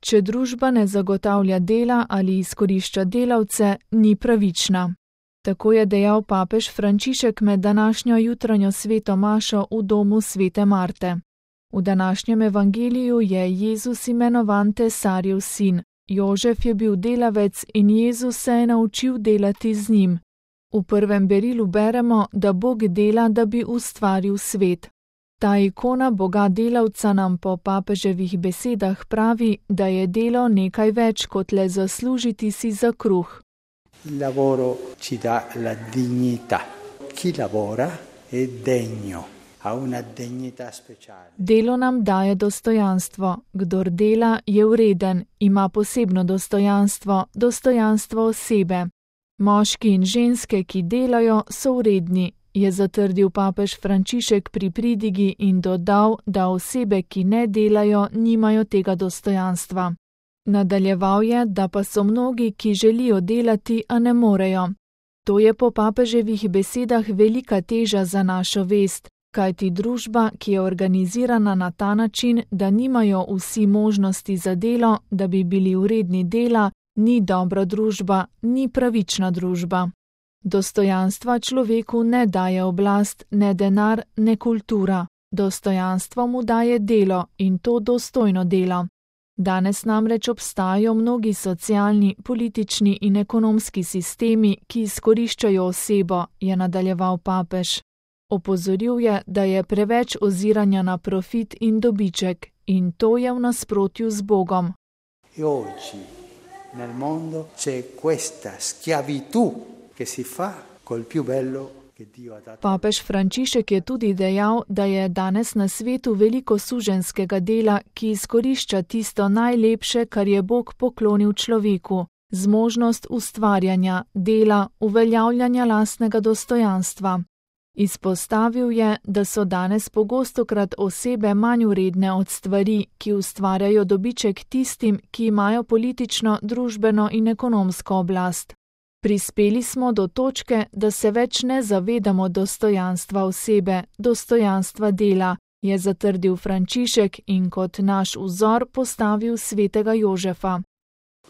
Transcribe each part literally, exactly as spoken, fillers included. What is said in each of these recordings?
Če družba ne zagotavlja dela ali izkorišča delavce, ni pravična. Tako je dejal papež Frančišek med današnjo jutranjo sveto mašo v domu svete Marte. V današnjem evangeliju je Jezus imenovan tesarjev sin. Jožef je bil delavec in Jezus se je naučil delati z njim. V prvem berilu beremo, da Bog dela, da bi ustvaril svet. Ta ikona Boga delavca nam po papeževih besedah pravi, da je delo nekaj več kot le zaslužiti si za kruh. Il lavoro ci dà la dignità. Chi lavora è degno, ha una dignità speciale. Delo nam daje dostojanstvo. Kdor dela, je vreden, ima posebno dostojanstvo, dostojanstvo osebe. Moški in ženske, ki delajo, so vredni, je zatrdil papež Frančišek pri pridigi in dodal, da osebe, ki ne delajo, nimajo tega dostojanstva. Nadaljeval je, da pa so mnogi, ki želijo delati, a ne morejo. To je po papeževih besedah velika teža za našo vest, kajti družba, ki je organizirana na ta način, da nimajo vsi možnosti za delo, da bi bili vredni dela, ni dobra družba, ni pravična družba. Dostojanstva človeku ne daje oblast, ne denar, ne kultura. Dostojanstvo mu daje delo in to dostojno delo. Danes namreč obstajajo mnogi socialni, politični in ekonomski sistemi, ki izkoriščajo osebo, je nadaljeval papež. Opozoril je, da je preveč oziranja na profit in dobiček in to je v nasprotju z Bogom. E oggi nel mondo c'è questa schiavitù che si fa col più bello che Dio ha dato. Papež Frančišek je tudi dejal, da je danes na svetu veliko suženjskega dela, ki izkorišča tisto najlepše, kar je Bog poklonil človeku, zmožnost ustvarjanja, dela, uveljavljanja lastnega dostojanstva. Izpostavil je, da so danes pogostokrat osebe manj vredne od stvari, ki ustvarjajo dobiček tistim, ki imajo politično, družbeno in ekonomsko oblast. Prispeli smo do točke, da se več ne zavedamo dostojanstva osebe, dostojanstva dela, je zatrdil Frančišek in kot naš vzor postavil svetega Jožefa.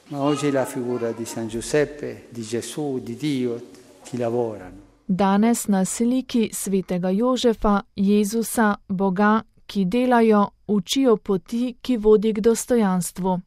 Ma oggi la figura di San Giuseppe, di Gesù, di Dio, ki lavorano. Danes na sliki svetega Jožefa, Jezusa, Boga, ki delajo, učijo poti, ki vodi k dostojanstvu.